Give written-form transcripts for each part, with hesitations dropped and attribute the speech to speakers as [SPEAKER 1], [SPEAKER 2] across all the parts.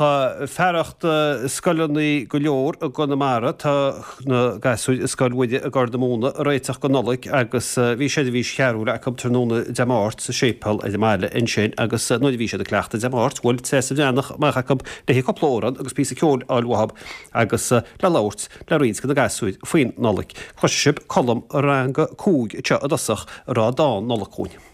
[SPEAKER 1] fearacht scoileanna go leor i gConamara, tá na gasúir i Scoil Mhuire i gCorr na Móna ag réiteach don Nollaig agus bhí seirbhís chearúil acu tráthnóna Dé Máirt sa séipéal ar an mbaile ansin agus nuair a bhí siad ag cleachtadh Dé Máirt bhuail Treasa Bhreathnach amach acu léi cúpla amhrán agus píosa ceoil a fháil uathu agus le labhairt le roinnt de na gasúir faoin Nollaig. Cloisfidh sibh Colm Rang 5 anseo i dtosach ag rá dán Nollag chugainn.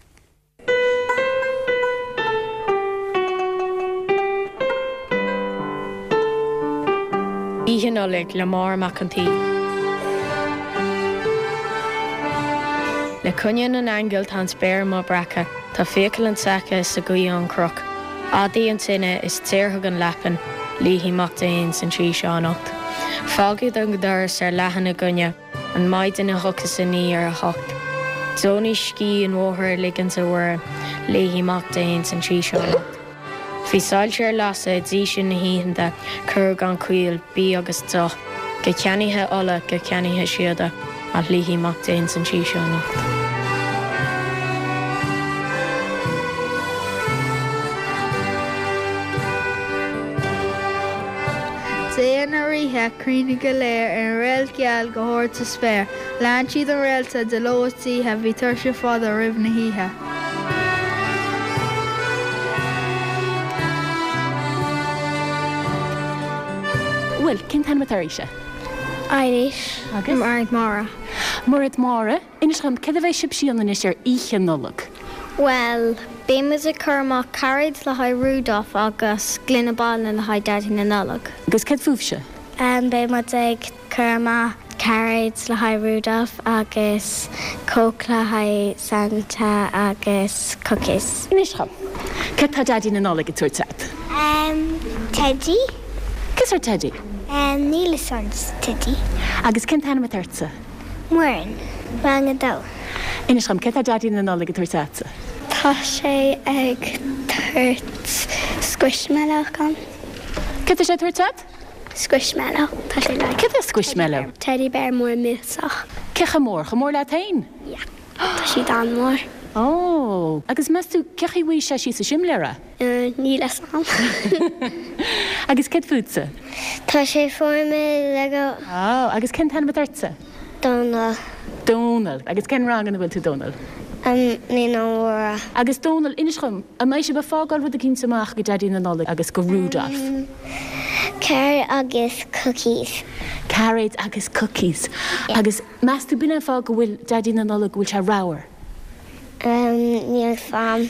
[SPEAKER 2] Oíche Nollag le Máire Mac an tSaoi. Le coinne na n-aingeal tá an spéir amuigh breactha, tá fiacail an tseaca is an ghaoth ón chnoc. Adaí an tine is daorfaidh an leapan, luífidh Mac Dé ins an tí seo anocht. Fágfaidh an doras ar leathan againne an mhaidin a thiocfas aniar 8. Deonaigh scíth an bhóthair a ligint a Mhuire, luífidh Mac Dé ins an tí seo anocht. Bhí soilse ar lasadh i dtí sin na hoícheanta, cur gan choill, bídh agus deoch, go ceannaithe ola, go ceannaithe síoda, ach luífidh Mac Dé ins an tí seo anocht.
[SPEAKER 3] Dia na ríthe, cruinnithe go léir ar an réalt gheal go hard sa spéir. Lean siad an réalta de ló is d'oíche, bhí tuirse fada roimh na hoíche.
[SPEAKER 4] Bhuel, cén t-ainm atá oraibhse?
[SPEAKER 5] Eilís.
[SPEAKER 4] Agus?
[SPEAKER 5] Mairéad Máire.
[SPEAKER 4] Mairéad Máire. Inis dom, céard a bheidh sibhse a dhéanamh anois ar Oíche Nollag?
[SPEAKER 5] Bhuel, beidh muid ag cur amach cairéid le haghaidh Rudolph agus gloine bainne le haghaidh Daidí na Nollag.
[SPEAKER 4] Agus céard fúibhse?
[SPEAKER 5] Beidh muid ag cur amach cairéid le haghaidh Rudolph agus Coke le haghaidh Santa agus cookies.
[SPEAKER 4] Inis dom, céard tá Daidí na Nollag ag tabhairt agat?
[SPEAKER 5] Teidí.
[SPEAKER 4] Cén sórt teidí?
[SPEAKER 5] Níl fhios a'm, teidí.
[SPEAKER 4] Agus cén t-ainm atá ortsa?
[SPEAKER 5] Muireann, Rang 2.
[SPEAKER 4] Inis dom, céard tá Daidí na Nollag ag tabhairt agatsa?
[SPEAKER 5] Tá sé ag tabhairt squishmallow dhom.
[SPEAKER 4] Céard tá sé ag tabhairt agat?
[SPEAKER 5] Squishmallow. Tá sé like.
[SPEAKER 4] Céard é squishmallow?
[SPEAKER 5] Teddy bear mór millteach.
[SPEAKER 4] Cé chomh mór? Chomh mór leat féin?
[SPEAKER 5] Yeah. Tá siad an-mhór.
[SPEAKER 4] Ó! Agus meas tú cé chaoi bhfaighidh sé síos sa simléar é?
[SPEAKER 5] Níl fhios a'm.
[SPEAKER 4] Agus céard fútsa?
[SPEAKER 5] Tá sé fuair mé Lego.
[SPEAKER 4] Ó, agus cén t-ainm atá ortsa?
[SPEAKER 5] Dónal.
[SPEAKER 4] Dónal. Agus cén rang ina bhfuil tú, Dónal?
[SPEAKER 5] Naíonáin Mhóra.
[SPEAKER 4] Agus Dónal, inis dhom, an mbeidh sibh ag fágáil rud eicínt amach go Daidí na Nollag agus go Rudolph?
[SPEAKER 5] Cairéid agus cookies.
[SPEAKER 4] Cairéid agus cookies. Agus meas tú b'in é an fáth go bhfuil Daidí na Nollag, go bhfuil sé ramhar?
[SPEAKER 5] Níl 'fhios a'm.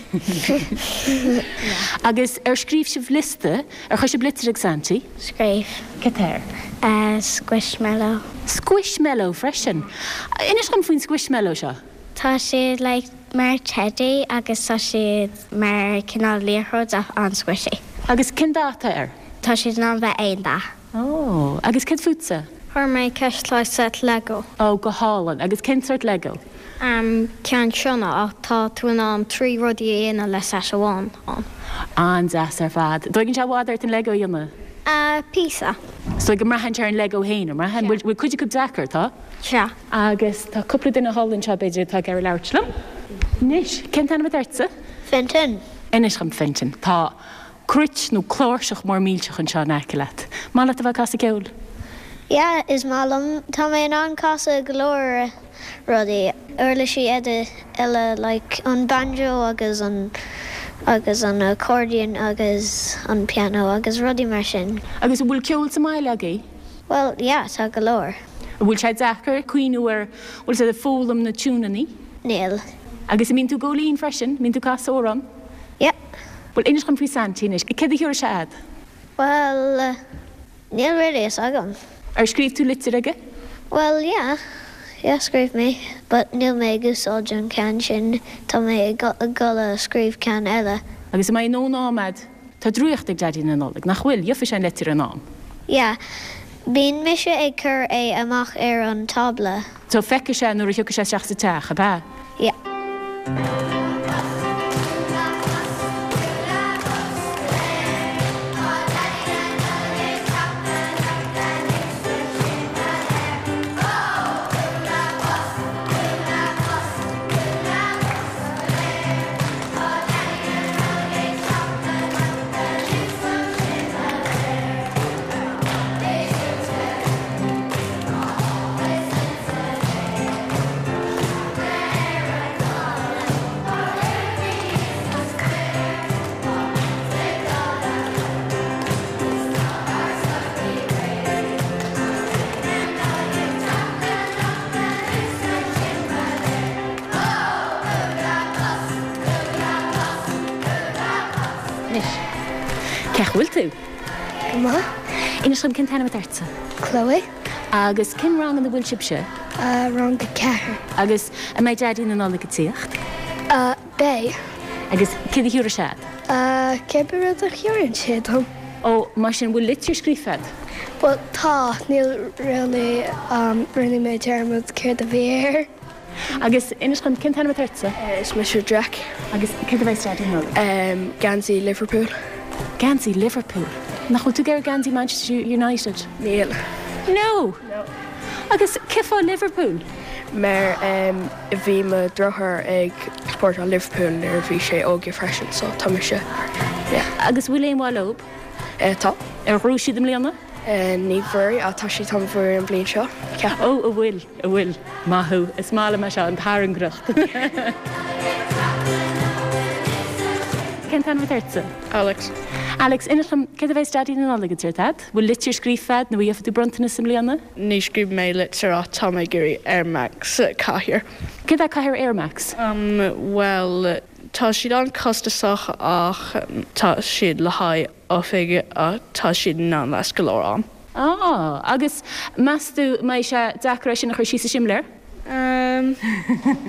[SPEAKER 4] Agus ar scríobh sibh liosta? Ar chuir sibh litir ag Santy?
[SPEAKER 5] Scríobh.
[SPEAKER 4] Cad tá
[SPEAKER 5] air? Squishmallow.
[SPEAKER 4] Squishmallow freisin. Inis dom faoin squishmallow seo.
[SPEAKER 5] Tá siad like mar teidí agus tá siad mar cineál liathróid ach an-squishy.
[SPEAKER 4] Agus cén dath atá air?
[SPEAKER 5] Tá siad in ann bheith aon dath.
[SPEAKER 4] Ó, agus céard fútsa?
[SPEAKER 5] Fuair mé ceist set Lego.
[SPEAKER 4] Ó, go hálainn. Agus cén sórt Lego?
[SPEAKER 5] An ceann seo ná ach tá tú in ann 3 rudaí a dhéanamh le set amháin ann.
[SPEAKER 4] An-deas ar fad. Dtóigeann sé i bhfad ort an Lego a dhéanamh?
[SPEAKER 5] Píosa.
[SPEAKER 4] Is dóigh go mbraitheann sé ar an Lego féin, an mbraitheann? Bhfuil cuid acu deacair, tá?
[SPEAKER 5] Sea.
[SPEAKER 4] Agus tá cúpla duine thall anseo b'fhéidir atá ag iarraidh labhairt liom. Anois, cén t-ainm atá ortsa?
[SPEAKER 5] Fintan.
[SPEAKER 4] Inis dhom, Fintan, tá cruit nó cláirseach mór millteach anseo in aice leat. Maith leat a bheith ag casadh ceoil?
[SPEAKER 5] Yeah, is maith liom. Tá mé in ann casadh go leor rudaí, uirlisí eile like an banjo agus an agus an accordion agus an piano agus rudaí mar sin.
[SPEAKER 4] Agus an bhfuil ceol sa mbaile agaibh?
[SPEAKER 5] Well, yeah, tá go leor.
[SPEAKER 4] An bhfuil sé deacair cuimhniú ar, bhfuil sé foghlaim na tiúineanna?
[SPEAKER 5] Níl.
[SPEAKER 4] Agus an mbíonn tú ag gabháil fhoinn freisin? Mbíonn tú ag casadh amhrán?
[SPEAKER 5] Yeah.
[SPEAKER 4] Bhuel, inis dhom faoi Santy anois. Céard a thiúrfaidh sé a'd?
[SPEAKER 5] Bhuel, níl really fhios agam.
[SPEAKER 4] Ar scríobh tú litir aige?
[SPEAKER 5] Bhuel, yeah. Yeah, scríobh mé. But níl mé ag úsáid an ceann sin, tá mé ag dul a scríobh ceann eile.
[SPEAKER 4] Agus an mbeidh a ndóthain am a'd? Tá draíocht ag Daidí na Nollag, nach bhfuil? Gheobhaidh sé an leitir in am.
[SPEAKER 5] Yeah. Bíonn mise ag cur é amach ar an tábla.
[SPEAKER 4] So feicfidh sé nuair a thiocfaidh sé isteach sa teach, ab ea?
[SPEAKER 5] Yeah.
[SPEAKER 4] bhfuil tú?
[SPEAKER 6] Go maith.
[SPEAKER 4] Inis dom cén t-ainm atá ortsa?
[SPEAKER 6] Chloe.
[SPEAKER 4] Agus cén rang ina bhfuil sibhse?
[SPEAKER 6] Rang a 4.
[SPEAKER 4] Agus an mbeidh Daidí na Nollag ag tíocht?
[SPEAKER 6] Beidh.
[SPEAKER 4] Agus céard a thiúrfaidh sé a'd?
[SPEAKER 6] Cibé rud a thiúrann sé dom.
[SPEAKER 4] Ó, mar sin, bhfuil litir scríofa a'd?
[SPEAKER 6] Bhuel, tá. Níl really, rinne mé dearmad céard a bhí air.
[SPEAKER 4] Agus inis dom, cén t-ainm atá ortsa?
[SPEAKER 7] Is mise Jack.
[SPEAKER 4] Agus céard a bheas ag Daidí Nollag?
[SPEAKER 7] Geansaí Liverpool.
[SPEAKER 4] Geansaí Liverpool? Nach bhfuil tú ag iarraidh geansaí Manchester United?
[SPEAKER 7] Níl.
[SPEAKER 4] No!
[SPEAKER 7] No.
[SPEAKER 4] Agus cén fáth Liverpool?
[SPEAKER 7] Mar bhí mo dheartháir ag supportáil Liverpool nuair a bhí sé óige freisin so tá mise, yeah.
[SPEAKER 4] Agus bhfuil aon mhaith leob?
[SPEAKER 7] Tá.
[SPEAKER 4] Ar ghnóthaigh siad i mbliana?
[SPEAKER 7] Ní bhfuair ach tá siad chun buachaint an bhliain seo,
[SPEAKER 4] ceapaim. Ó, a bhfuil, a bhfuil. Maith thú. Is maith liom é seo, an tairngreacht. Cén t-ainm atá ortsa?
[SPEAKER 7] Alex.
[SPEAKER 4] Alex, inis dom, céard a bheas Daidí na Nollag ag tabhairt a'd? Bhfuil litir scríofa a'd nó an bhfaighidh tú bronntanas i mbliana?
[SPEAKER 7] Ní scríobh mé litir ach tá mé ag iarraidh Air Max cathaoir.
[SPEAKER 4] Céard é cathaoir Air Max?
[SPEAKER 7] Bhuel, tá siad an-costasach ach tá siad le haghaidh oifig ach tá siad in ann last go leor am.
[SPEAKER 4] Ah, agus meas tú mbeidh sé deacair é sin a chur síos sa simléar?
[SPEAKER 7] Ehm,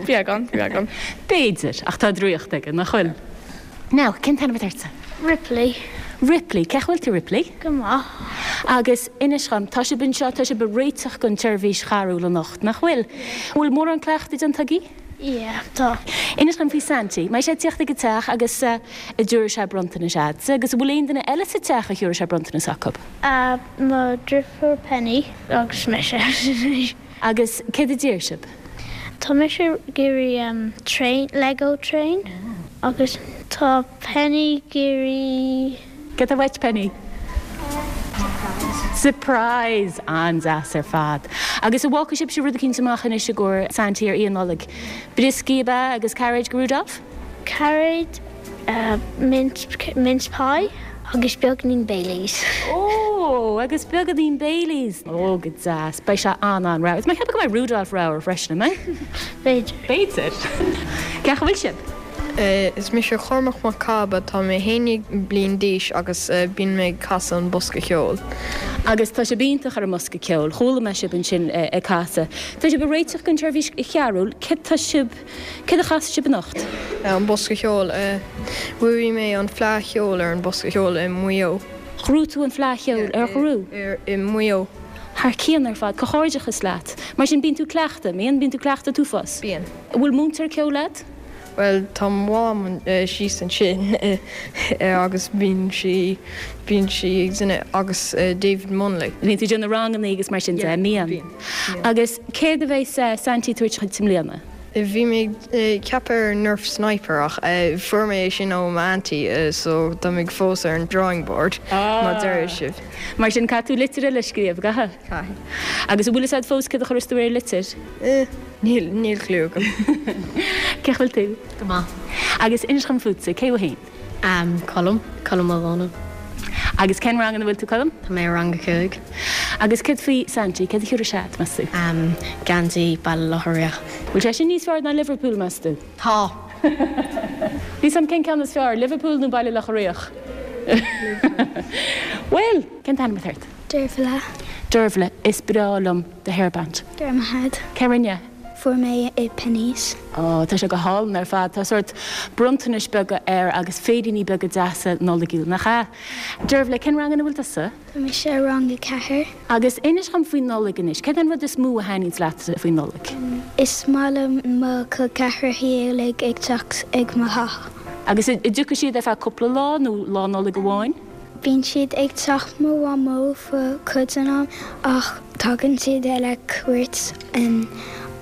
[SPEAKER 7] beagán, beagán.
[SPEAKER 4] B'fhéidir, ach tá draíocht aige, nach bhfuil? Now, cén t-ainm atá ortsa?
[SPEAKER 5] Ripley.
[SPEAKER 4] Ripley, cén chaoi a bhfuil tú, Ripley?
[SPEAKER 5] Go maith.
[SPEAKER 4] Agus inis dhom, tá sibh anseo, tá sibh ag réiteach don tseirbhís charúl anocht, nach bhfuil? Bhfuil mórán cleachtaidh déanta agaibh?
[SPEAKER 5] Yeah, tá.
[SPEAKER 4] Inis dhom faoi Santy. Mbeidh sé ag tíocht ag an teach agus an dtiúrfaidh sé bronntanais a'dsa agus an bhfuil aon duine eile sa teach a thiúrfaidh sé bronntanas acu?
[SPEAKER 5] Mo dhriofúr Penny agus mise.
[SPEAKER 4] Agus céard a d'iarr sibh?
[SPEAKER 5] Tá mise ag iarraidh train, Lego train agus tá Penny ag iarraidh.
[SPEAKER 4] Céard atá uait, Penny?
[SPEAKER 5] Surprise.
[SPEAKER 4] Surprise! An-deas ar fad. Agus an bhfágfaidh sibhse rud eicínt amach anois i gcomhair Santy ar Oíche Nollag? Brioscaí ab ea agus cairéid go Rudolph?
[SPEAKER 5] Cairéid, mince, mince pie agus beagáinín Baileys.
[SPEAKER 4] Ó, agus beagáinín Baileys! Ó, go deas. Beidh sé an-an-ramhar. Is mé ag ceapadh go mbeidh Rudolph ramhar freisin, an mbeidh?
[SPEAKER 5] B'fhéidir.
[SPEAKER 4] B'fhéidir. Cén chaoi a bhfuil sibh?
[SPEAKER 8] Is mise Cormac Mac Cába, tá mé 11 bliain d'aois agus bíonn mé ag casadh an bosca ceoil.
[SPEAKER 4] Agus tá sibh iontach ar an mbosca ceoil, chuala mé sibh ansin ag casadh. Tá sibh ag réiteach don tseirbhís charúil, céard tá sibh, céard a chasfaidh sibh anocht?
[SPEAKER 8] An bosca ceoil, Bhuaigh mé an Fleadh Cheoil ar an bosca ceoil i Maigh Eo.
[SPEAKER 4] Ghnóthaigh tú an Fleadh Cheoil ar ghnóthaigh?
[SPEAKER 8] I Maigh Eo.
[SPEAKER 4] Thar cionn ar fad, comhghairdeachas leat. Mar sin bíonn tú ag cleachtadh, mbíonn? Bíonn tú ag cleachtadh an t-uafás?
[SPEAKER 8] Bíonn.
[SPEAKER 4] An bhfuil múinteoir ceoil a'd?
[SPEAKER 8] Bhuel, tá mo mham síos ansin agus bíonn sí, bíonn sí ag déanamh, agus David Munnelly.
[SPEAKER 4] Bíonn tú ag déanamh ranganna agus mar sin de, mbíonn?
[SPEAKER 8] Bíonn.
[SPEAKER 4] Agus céard a bheas Santy ag tabhairt dhuit i mbliana?
[SPEAKER 8] Bhí mé ag ceapadh ar Nerf Sniper ach fuair mé é sin ó m'auntie so tá mé fós ar an drawing board má deir sibh.
[SPEAKER 4] Mar sin caithfidh tú litir eile a scríobh,
[SPEAKER 8] gcaithfidh? Caithfidh.
[SPEAKER 4] Agus an bhfuil fhios a'd fós céard a chuirfeas tú ar an litir?
[SPEAKER 8] Níl, níl clue agam.
[SPEAKER 4] Cén chaoi a bhfuil tú?
[SPEAKER 2] Go maith.
[SPEAKER 4] Agus inis dhom fútsa, cé thú fhéin?
[SPEAKER 2] Am, Colm, Colm Ó Dónaill.
[SPEAKER 4] Agus cén rang ina bhfuil tú, Colm?
[SPEAKER 2] Tá mé i rang a 5.
[SPEAKER 4] Agus céard faoi Santy, céard a thiúrfaidh sé duit, meas tú?
[SPEAKER 2] Am, Geansaí Baile Locha Riach.
[SPEAKER 4] Bhfuil sé sin níos fearr ná Liverpool, meas tú?
[SPEAKER 2] Tá!
[SPEAKER 4] Níl 'fhios a'm cén ceann is fearr, Liverpool nó Baile Locha Riach? Bhuel! Cén t-ainm atá ort?
[SPEAKER 9] Dervla.
[SPEAKER 4] Dervla, is breá liom do hairband.
[SPEAKER 9] Go raibh maith agat.
[SPEAKER 4] Cé rinne é?
[SPEAKER 9] Fuair mé i Penneys.
[SPEAKER 4] Ó, tá sé go hálainn ar fad. Tá sórt bronntanais beaga air agus féiríní beaga deasa Nollaigiúil, nach ea? Dervla, cén rang ina bhfuil tusa?
[SPEAKER 9] Tá mise i rang a 4.
[SPEAKER 4] Agus inis dhom faoin Nollaig anois. Céard é an rud is mó a thaitníonns leat faoin Nollaig?
[SPEAKER 9] Is maith liom mo chol ceathracha uilig ag teacht ag mo theach.
[SPEAKER 4] Agus an dtiocfaidh siad ar feadh cúpla lá nó Lá Nollag amháin?
[SPEAKER 9] Bíonn siad ag teach mo mhamó fo cuid den am ach tagann siad eile cuairt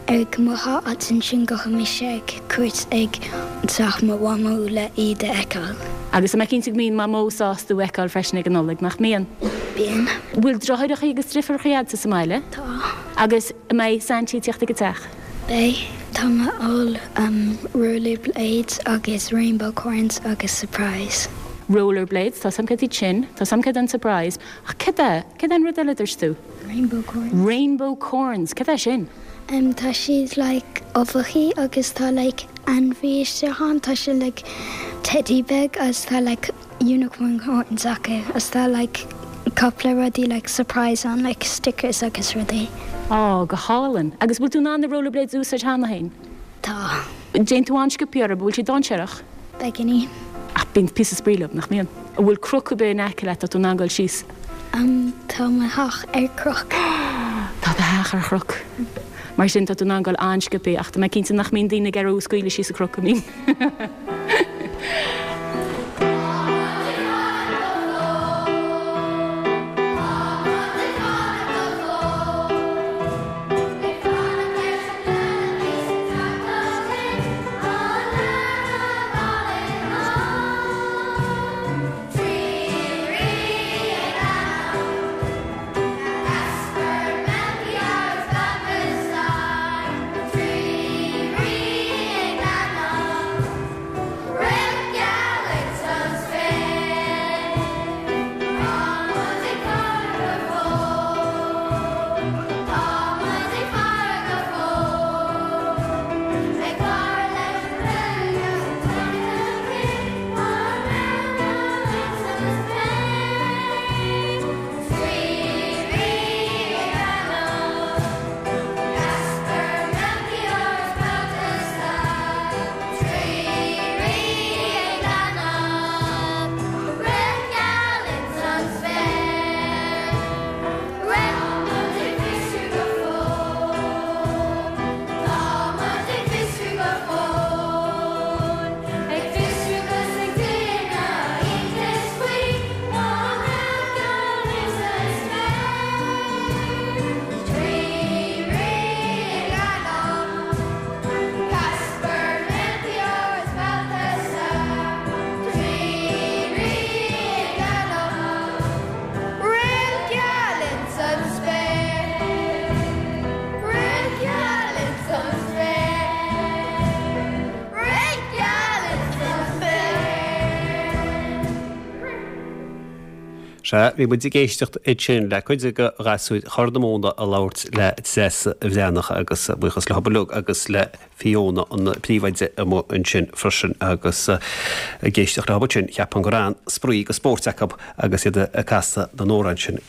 [SPEAKER 9] ag mo theach agus ansin gabhfaidh mise ag cuairt ag teach mo mhamó le iad a fheiceáil.
[SPEAKER 4] Agus tá mé cinnte go mbíonn Mamó sásta thú a fheiceáil freisin ag an Nollaig, nach mbíonn?
[SPEAKER 9] Bíonn.
[SPEAKER 4] Bhfuil deartháireacha agus driofúracha a'dsa sa mbaile?
[SPEAKER 9] Tá.
[SPEAKER 4] Agus an mbeidh Saintí ag tíocht ag an teach?
[SPEAKER 9] Beidh. Tá mé ag fáil rollerblades agus rainbowcorns agus surprise.
[SPEAKER 4] Rollerblades, tá 's a'm céard iad sin, tá 's a'm céard é an surprise, ach céard é, céard é an rud eile a dúirt tú?
[SPEAKER 9] Rainbowcorns.
[SPEAKER 4] Rainbowcorns, céard é sin?
[SPEAKER 9] Em tá siad like uibheachaí agus tá like ainmhí isteach ann, tá sé like teddy beag agus tá like. Unicorn horns acu agus tá like cúpla rudaí like surprise ann like stickers agus rudaí.
[SPEAKER 4] Á, go hálainn. Agus bhfuil tú in ann na rollerblades a úsáid cheana féin?
[SPEAKER 9] Tá.
[SPEAKER 4] Téann tú an-sciobtha orthu, bhfuil siad dainséarach?
[SPEAKER 9] Beagáinín.
[SPEAKER 4] Ach bíonn píosa spraoi leo, nach mbíonn? An bhfuil cnoc ar bith in aice leat, tá tú in ann dul síos?
[SPEAKER 9] Tá mo theach ar chnoc.
[SPEAKER 4] Tá do theach ar chnoc. Mar sin, tá tú in ann dul an-sciobtha, ach tá mé cinnte nach mbíonn daoine ag iarraidh thú a scaoileadh síos an cnoc, an mbíonn?
[SPEAKER 1] Sea, bhí muid ag éisteacht ansin le cuid de ghasúir Chorr na Móna ag labhairt le Treasa Bhreathnach agus buíochas leo uilig agus le Fiona an príomhoide amuigh ansin freisin agus ag éisteacht leo ansin cheapfainn go raibh an-spraoi agus spóirt acu agus iad ag casadh na n-amhrán sin.